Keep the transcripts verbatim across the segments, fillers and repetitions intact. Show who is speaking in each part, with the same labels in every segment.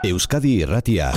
Speaker 1: Euskadi Irratia.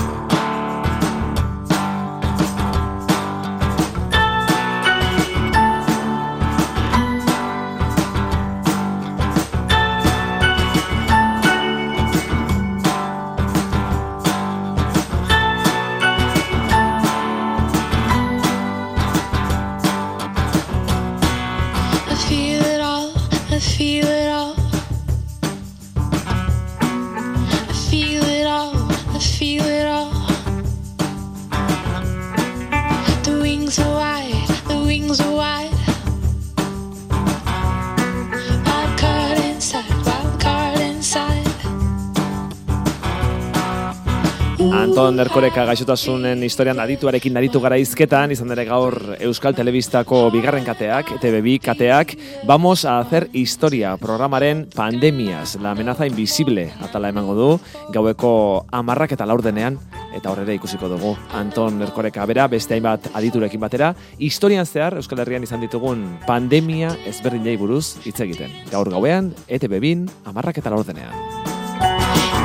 Speaker 2: Anton Erkoreka gaixotasunen historian adituarekin aritu gara hizketan, izan ere gaur Euskal Telebistako bigarren kateak, E Te Be bi kateak, vamos a hacer historia programaren Pandemias, la amenaza invisible atala emango du, gaueko hamarrak eta laurdenean, eta horrela ikusiko dugu. Anton Erkoreka bera, beste hainbat aditurekin batera, historian zehar Euskal Herrian izan ditugun pandemia ezberdinei buruz hitz egiten. Gaur gauean, E Te Be bin, hamarrak eta laurdenean.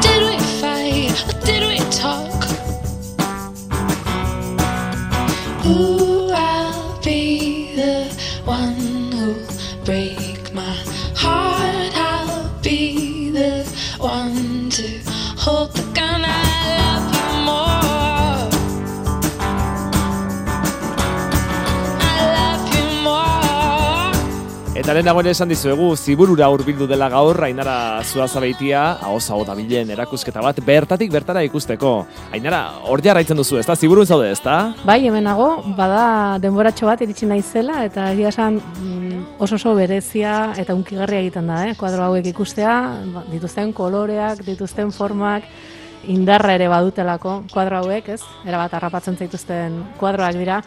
Speaker 3: Did we fight or did we talk? Ooh, I'll be the one who'll break my heart. I'll be the one to hold the gun. I love you more. I love you more.
Speaker 2: Eta lehen dagoen esan dizuegu, Ziburura hurbildu dela gaur, Ainara Zuazabeitia, ahoz-aho dabilen erakusketa bat, bertatik bertara ikusteko. Ainara, hor jarraitzen duzu, ezta? Ziburun zaude, ezta?
Speaker 4: Bai, hemenago, bada denboratxo bat iritsi naizela, eta egia esan oso oso berezia eta unkigarria egiten da, eh? Kuadro hauek ikustea, dituzten koloreak, dituzten formak, indarra ere badutelako kuadro hauek, ez? Erabat harrapatzen zaituzten kuadroak dira.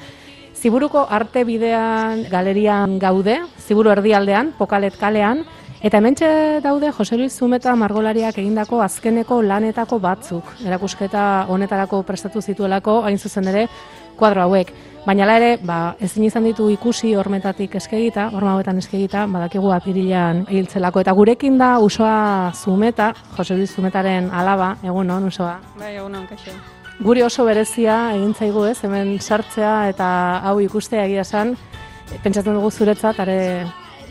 Speaker 4: Ziburuko arte bidean galerian gaude, Ziburu erdialdean, Pokalet kalean, eta hementxe daude Jose Luis Zumeta margolariak egindako azkeneko lanetako batzuk. Erakusketa honetarako prestatu zituelako, hain zuzen ere, kuadro hauek. Baina hala ere, ba, ezin izan ditu ikusi hormetatik eskegita, horma hauetan eskegita, badakigu apirilean hiltzelako. Eta gurekin da Usoa Zumeta, Jose Luis Zumetaren alaba, egunon, Usoa.
Speaker 5: Bai, egunon, kaixo.
Speaker 4: Guri oso berezia egin zaigu, ez, hemen sartzea eta hau ikustea egia esan, pentsatzen dugu zuretzat are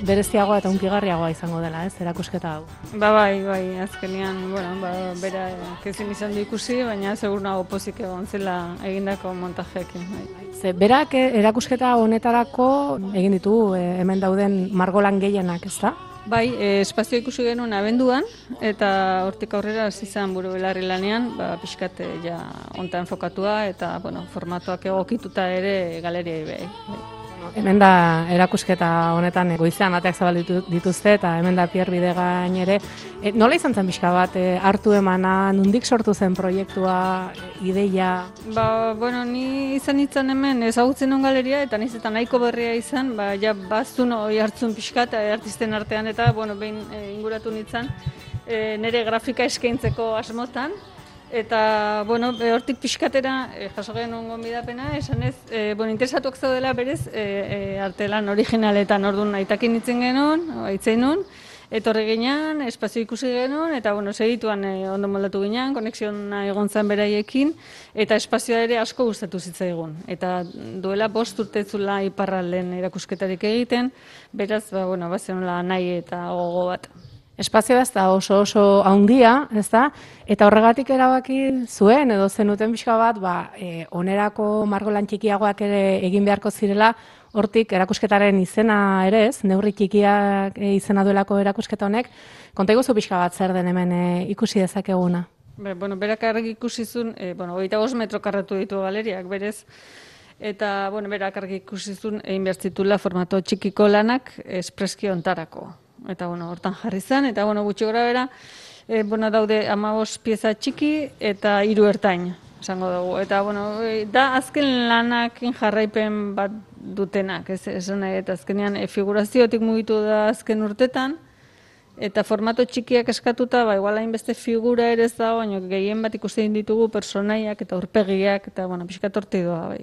Speaker 4: bereziagoa eta unkigarriagoa izango dela, ez, erakusketa hau.
Speaker 5: Ba, bai, bai, azkenean, bueno, ba, bera kezin izan du ikusi, baina segur nago pozik egon zela egindako montajeekin. Bai.
Speaker 4: Ze, berak erakusketa honetarako egin ditu eh, hemen dauden margolan gehienak, ez da?
Speaker 5: Bai, e, espazio ikusi genuen abenduan, eta hortik aurrera hasi izan buru belarri lanean, ba, pixkat ja onta enfokatua, eta bueno, formatuak egokituta ere galeriai behi.
Speaker 4: Hemen da erakusketa honetan goizean ateak zabalitu dituzte, eta hemen da Pierre Bidegain ere. E, nola izan zen pixka bat, e, hartu emana, nondik sortu zen proiektua, e, ideia?
Speaker 5: Ba, bueno, ni izan itzan hemen ezagutzen on galeria, eta niz eta nahiko berria izan, ba, ja bazun oi hartzun pixka, eta artisten artean, eta, bueno, behin e, inguratu nintzen, e, nire grafika eskaintzeko asmotan, eta, bueno, e, hortik pixkatera e, jaso genuen gonbidapena, esan ez, e, bueno, interesatuak zaudela berez e, e, artelan originaletan orduan aitakin itzen genuen, aitzen nun, etorri ginean, espazio ikusi genuen, eta, bueno, segituan e, ondo moldatu ginean, konexiona egon zen beraiekin, eta espazioa ere asko gustatu zitzaigun. Eta duela bost urtetzula iparralden erakusketarik egiten, beraz, ba, bueno, bazenola nahi eta gogo bat.
Speaker 4: Espazioa ez da oso oso handia, ez da? Eta horregatik erabaki zuen, edo zenuten pixka bat, ba, e, onerako margolan txikiagoak ere egin beharko zirela, hortik erakusketaren izena ere ez, neurri txikiak e, izena duelako erakusketa honek, konta iguzu pixka bat zer den hemen e, ikusi dezakeguna.
Speaker 5: Be, bueno, berak argi ikusi zuen, e, bueno, hogeita bost metro karratu ditu galeriak, berez, eta, bueno, berak argi ikusi zuen egin behar zituela formato txikiko lanak espreski ontarako. Eta, bueno, hortan jarri zen, eta, bueno, gutxi gora bera, e, bueno, daude hamabost pieza txiki eta hiru ertain, esango dugu. Eta, bueno, e, da azken lanakin jarraipen bat dutenak, ez, esan nahi, eta azkenean e, figuraziotik mugitu da azken urtetan, eta formato txikiak eskatuta, ba, igual hainbeste figura ere ez dago, baina gehien bat ikusten ditugu personaiak eta aurpegiak, eta, bueno, pixkat horti doa, bai.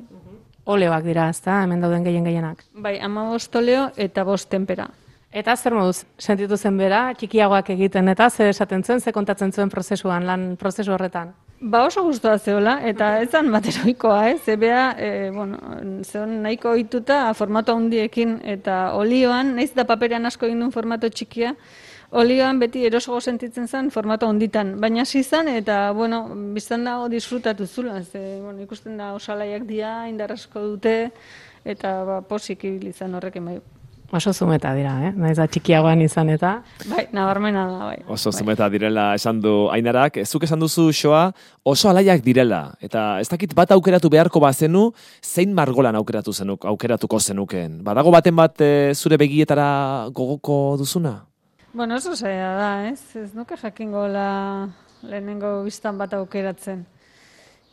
Speaker 4: Oleoak dira, ez da, hemen dauden gehien gehienak.
Speaker 5: Bai, hamabost oleo eta bost tempera.
Speaker 4: Eta zer moduz sentitu zen bera, txikiagoak egiten, eta zer esaten zuen, zer kontatzen zuen prozesuan, lan prozesu horretan?
Speaker 5: Ba oso gustoa zeola, eta ez zan bateroikoa, ez? Zebea, e, bueno, zeon nahiko ohituta formato handiekin, eta olioan, naiz da paperean asko egin duen formato txikia, olioan beti erosogo sentitzen zen formato honditan, baina hasi zen eta bueno, biztan dago disfrutatu zula, ze bueno, ikusten da osalaiak dira, indar asko dute eta ba posik ibili izan horrekin bai.
Speaker 4: Oso zumeta dira, eh? Naiz da txikiagoan izan eta.
Speaker 5: Bai, nabarmena da, bai.
Speaker 2: Oso
Speaker 5: bai.
Speaker 2: zumeta direla esan du Ainarak, zuk esan duzu xoa oso alaiak direla, eta ez dakit bat aukeratu beharko bazenu, zein margolan aukeratu zenuk, aukeratuko zenukeen. Badago baten bat e, zure begietara gogoko duzuna?
Speaker 5: Bueno, oso zaila da, ez? Ez nuke jakingo la lehenengo biztan bat aukeratzen.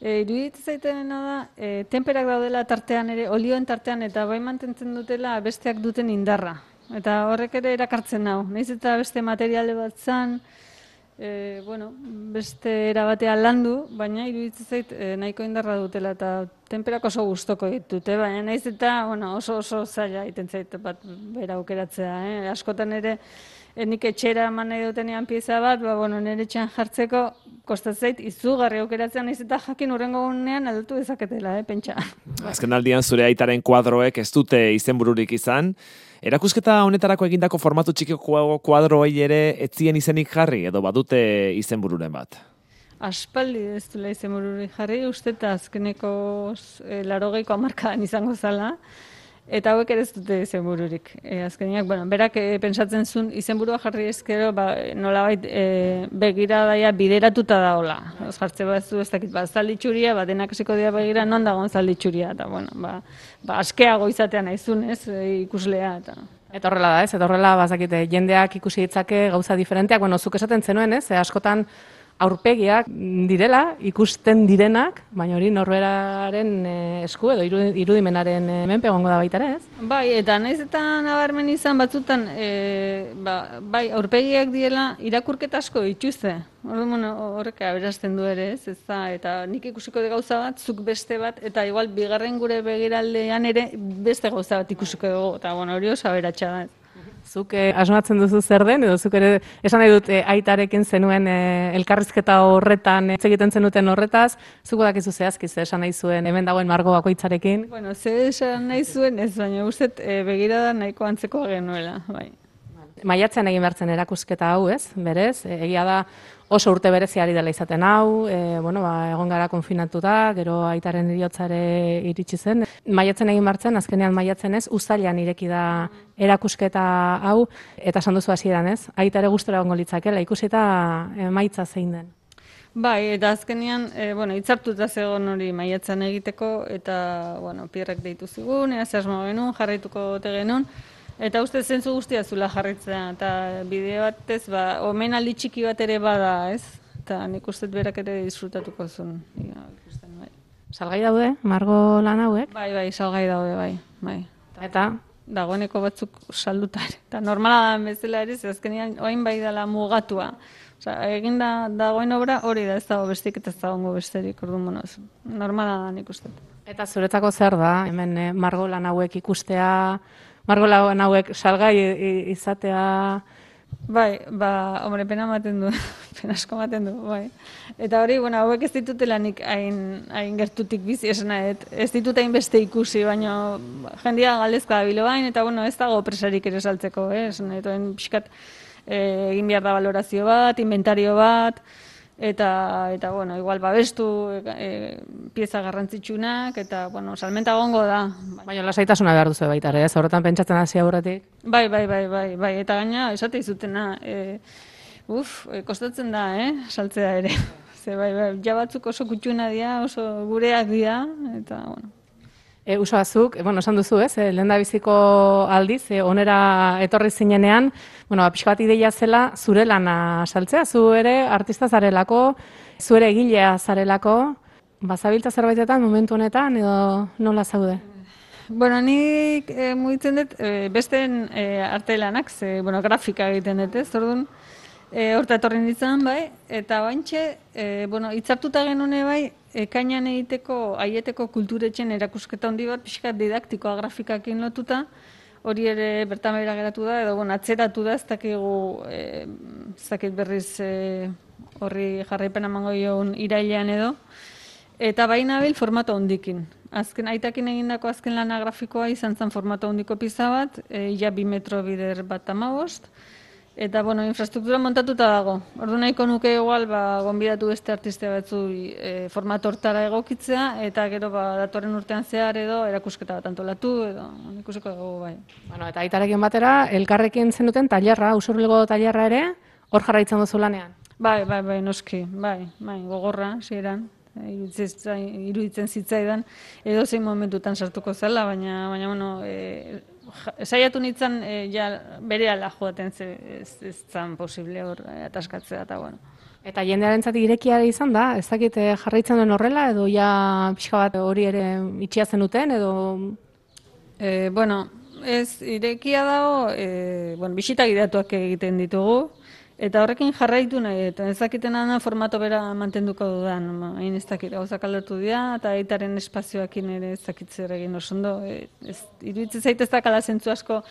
Speaker 5: E, iruditzen zaitena da, e, tenperak daudela tartean ere, olioen tartean, eta bai mantentzen dutela besteak duten indarra. Eta horrek ere erakartzen nau. Naiz eta beste materiale bat zan, e, bueno, beste erabatea landu, baina iruditzen zait e, nahiko indarra dutela, eta tenperak oso gustoko ditute, baina naiz eta bueno, oso oso zaila egiten zait bat bera aukeratzea. Eh? Askotan ere, E, nik etxera eman nahi dutenean pieza bat, ba, bueno, nire etxean jartzeko kostatzeit izugarri aukeratzen naiz eta jakin urrengo gunean aldatu dezaketela, eh, pentsa.
Speaker 2: Azken aldian zure aitaren kuadroek ez dute izenbururik izan. Erakusketa honetarako egindako formatu txikiko kuadroei ere etzien izenik jarri edo badute izenbururen bat?
Speaker 5: Aspaldi ez duela izenbururik jarri, uste eta azkeneko e, larogeiko hamarkadan izango zala. Eta hauek ere ez dute izenbururik. E, azkeniak, bueno, berak e, pentsatzen zuen izenburua jarri ezkero, ba, nolabait e, begiradaia bideratuta daola. Ez jartze bat zu ez dakit, ba, zalditxuria, ba, denak esiko dira begira, non dagoen zalditxuria, eta, bueno, ba, ba askeago izatea naizun, ez, e, ikuslea, eta...
Speaker 4: Eta horrela da, ez? Eta horrela, bazakite, jendeak ikusi ditzake gauza diferenteak, bueno, zuk esaten zenuen, ez? E, askotan aurpegiak direla, ikusten direnak, baina hori norberaren esku edo irudimenaren menpe egongo da baita ere, ez?
Speaker 5: Bai, eta naiz eta nabarmen izan batzutan, e, ba, bai, aurpegiak diela irakurketa asko dituzte. Orduan, horrek aberazten du ere, ez? Ez da, eta nik ikusiko de gauza bat, zuk beste bat, eta igual bigarren gure begiraldean ere beste gauza bat ikusiko dugu, eta bueno, hori oso aberatsa da, ez?
Speaker 4: Zuk eh, asmatzen duzu zer den, edo zuk ere esan nahi dut eh, aitarekin zenuen eh, elkarrizketa horretan, hitz egiten zenuten horretaz, zuko dakizu zehazki ze esan nahi zuen hemen dagoen margo bakoitzarekin?
Speaker 5: Bueno, ze esan nahi zuen ez, baina guztet e, begirada nahiko antzekoa genuela, bai.
Speaker 4: Maiatzean egin behartzen erakusketa hau, ez? Berez, egia da oso urte bereziari dela izaten hau, e, bueno, ba, egon gara konfinatuta, gero aitaren heriotzare iritsi zen. Maiatzen egin behartzen, azkenean maiatzen ez, uztailean ireki da erakusketa hau, eta esan duzu hasieran, ez? Aitare gustora egongo litzakela, ikusita emaitza zein den.
Speaker 5: Bai, eta azkenean, e, bueno, hitzartuta zegoen hori maiatzen egiteko, eta, bueno, Pierrek deitu zigun, ea zehazmo genuen, jarraituko ote genuen, eta uste zentzu guztia zula jarritzea, eta bideo batez, ba, omenaldi txiki bat ere bada, ez? Eta nik uste berak ere disfrutatuko zuen. Ja, ikusten, bai.
Speaker 4: Salgai daude, margo lan hauek?
Speaker 5: Bai, bai, salgai daude, bai, bai.
Speaker 4: Eta?
Speaker 5: Dagoeneko batzuk salduta ere. Eta normala da bezala ere, ze azkenean orain bai dela mugatua. Osea, eginda dagoen obra hori da, ez dago bestik eta ez dagoengo besterik, orduan, bueno, normala da nik uste.
Speaker 4: Eta zuretzako zer da, hemen eh, margo lan hauek ikustea, margo lan hauek salgai izatea...
Speaker 5: Bai, ba, hombre, pena ematen du, pena asko ematen du, bai. Eta hori, bueno, hauek ez ditutela nik hain, hain gertutik bizi, esena, et, ez ditut hain beste ikusi, baina jendia galdezko da bilobain, eta bueno, ez dago presarik ere saltzeko, eh? Esena, eta pixkat eh, egin behar da valorazio bat, inventario bat, eta, eta bueno, igual babestu e, pieza garrantzitsunak, eta, bueno, salmenta gongo da.
Speaker 4: Baina lasaitasuna behar duzu baita ere, ez? Horretan pentsatzen hasi aurretik.
Speaker 5: Bai, bai, bai, bai, bai, eta gaina, esate izutena, e, uf, e, kostatzen da, eh, saltzea ere. Ze, bai, bai, ja batzuk oso kutxuna dira, oso gureak dira, eta, bueno.
Speaker 4: E, Uso azuk, bueno, esan duzu, ez, e, lehen da biziko aldiz, e, onera etorri zinenean, bueno, pixka bat ideia zela zure lana saltzea, zu ere artista zarelako, zu ere egilea zarelako, bazabiltza zerbaitetan momentu honetan, edo nola zaude?
Speaker 5: Bueno, nik e, mugitzen dut, e, besteen e, arte lanak, ze, bueno, grafika egiten dut, ez, orduan, e, horta etorri nintzen, bai, eta baintxe, e, bueno, hitzartuta genune bai, ekainan egiteko, aieteko kulturetxen erakusketa handi bat, pixkat didaktikoa grafikakin lotuta, hori ere bertan behera geratu da, edo bueno, atzeratu da, ez dakigu, e, ez dakit berriz e, horri jarraipen emango diogun irailean edo. Eta baina bil formato hondikin. Azken aitakin egindako azken lana grafikoa izan zen formato hondiko pizza bat, e, ja bi metro bider bat hamabost. Eta, bueno, infrastruktura montatuta dago. Ordu nahiko nuke igual, ba, gonbidatu beste artista batzu e, formato hortara egokitzea, eta gero, ba, datorren urtean zehar edo erakusketa bat antolatu, edo ikusiko dugu bai.
Speaker 4: Bueno, eta aitarekin batera, elkarrekin zenuten tailerra, Usurbilgo tailerra ere, hor jarraitzen duzu lanean.
Speaker 5: Bai, bai, bai, noski, bai, bai, gogorra, hasieran. Iruditzen, iruditzen zitzaidan, edo zein momentutan sartuko zela, baina, baina bueno, e, saiatu nintzen e, ja berehala joaten ze, ez, ez zan posible hor e, ataskatzea, eta bueno.
Speaker 4: Eta jendearentzat irekia izan da, ez dakit eh, jarraitzen duen horrela, edo ja pixka bat hori ere itxia zenuten, edo...
Speaker 5: E, bueno, ez irekia dago, e, bueno, bisita gidatuak egiten ditugu, eta horrekin jarraitu nahi, eta ez dakitena da formato bera mantenduko dudan, hain ez dakit, gauzak aldatu dira, eta aitaren espazioakin ere ez dakit zer egin oso ondo, e, ez, iruditzen zait ez dakala zentzu asko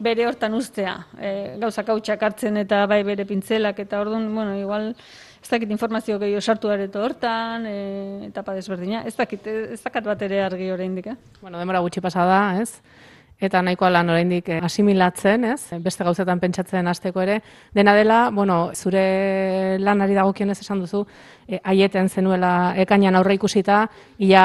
Speaker 5: bere hortan ustea, e, gauzak hautsak hartzen eta bai bere pintzelak, eta orduan, bueno, igual, ez dakit informazio gehiago sartu areto hortan, e, etapa desberdina, ez dakit, ez dakat bat ere argi oraindik, eh?
Speaker 4: Bueno, demora gutxi pasa da, ez? Eta nahikoa lan oraindik asimilatzen, ez? Beste gauzetan pentsatzen hasteko ere. Dena dela, bueno, zure lanari dagokionez esan duzu, e, aieten zenuela ekainan aurre ikusita, ia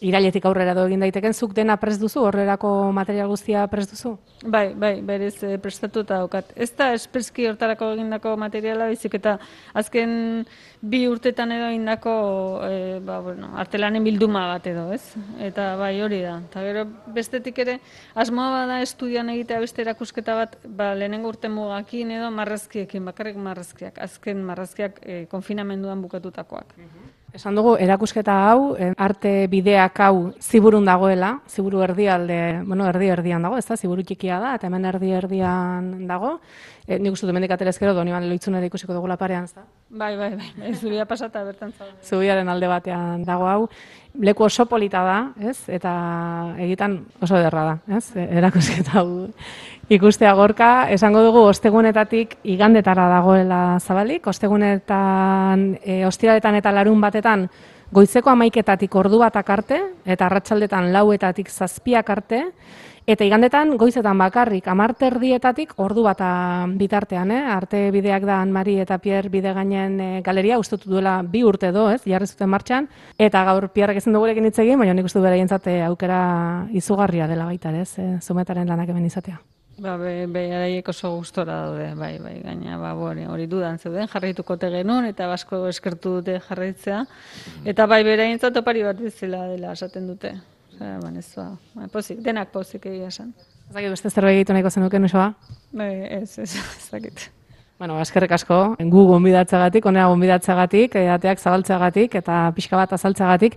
Speaker 4: irailetik aurrera do egin daiteken, zuk dena prest duzu, horrerako material guztia prest duzu?
Speaker 5: Bai, bai, berez e, prestatuta daukat. Ez da espreski hortarako egindako materiala, baizik eta azken bi urtetan edo egindako e, ba, bueno, artelanen bilduma bat edo, ez? Eta bai, hori da. Eta gero bestetik ere, asmoa bada estudian egitea beste erakusketa bat, ba, lehenengo urte mugakin edo marrazkiekin, bakarrik marrazkiak, azken marrazkiak e, konfinamenduan bukatutakoak.
Speaker 4: Esan dugu, erakusketa hau, arte bideak hau ziburun dagoela, ziburu erdialde, bueno, erdi erdian dago, ez da, ziburu txikia da, eta hemen erdi erdian dago. E, nik uste du mendik aterezkero, Doniban Loitzunera ikusiko dugula parean, ez da?
Speaker 5: Bai, bai, bai, bai, zubia pasata bertan zauden.
Speaker 4: Zubiaren alde batean dago hau. Leku oso polita da, ez? Eta egitan oso ederra da, ez? Erakusketa hau ikustea gorka. Esango dugu, ostegunetatik igandetara dagoela zabalik, ostegunetan, e, ostiraletan eta larun batetan goizeko hamaiketatik ordu batak arte, eta arratsaldetan lauetatik zazpiak arte, eta igandetan goizetan bakarrik hamar erdietatik ordu bata bitartean, eh? Arte bideak da Anmari eta Pierre Bidegainen e, galeria, ustutu duela bi urte do, ez? Jarri zuten martxan, eta gaur Pierrek ezin dugurekin hitz egin, baina nik uste du beraientzat aukera izugarria dela baita, ez? E, Zumetaren lanak hemen izatea.
Speaker 5: Ba, be, be, araiek oso gustora daude, bai, bai, gaina, ba, hori, hori dudan zeuden, jarraituko genuen, eta basko eskertu dute jarraitzea, eta bai, beraientzat opari bat bezala dela esaten dute. Osea, ban, ez ba, ba, pozik, denak pozik egia esan.
Speaker 4: Ez dakit beste zerbait egitu nahiko zenuken, Uxoa?
Speaker 5: Bai, ez, ez, ez dakit.
Speaker 4: Bueno, eskerrik asko, gu gonbidatzeagatik, onera gonbidatzeagatik, ateak zabaltzeagatik eta pixka bat azaltzeagatik,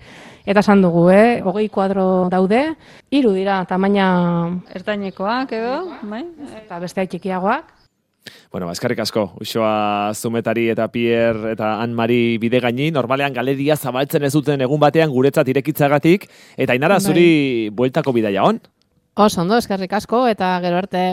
Speaker 4: eta esan dugu, eh, hogei kuadro daude, hiru dira, tamaina
Speaker 5: ertainekoak edo, bai?
Speaker 4: Eta beste txikiagoak.
Speaker 2: Bueno, eskerrik asko, Uxoa Zumetari eta Pierre eta Anmari Bidegaini, normalean galeria zabaltzen ez duten egun batean guretzat irekitzagatik, eta Ainara, zuri bueltako bidaia on?
Speaker 4: Oso ondo, eskerrik asko, eta gero arte.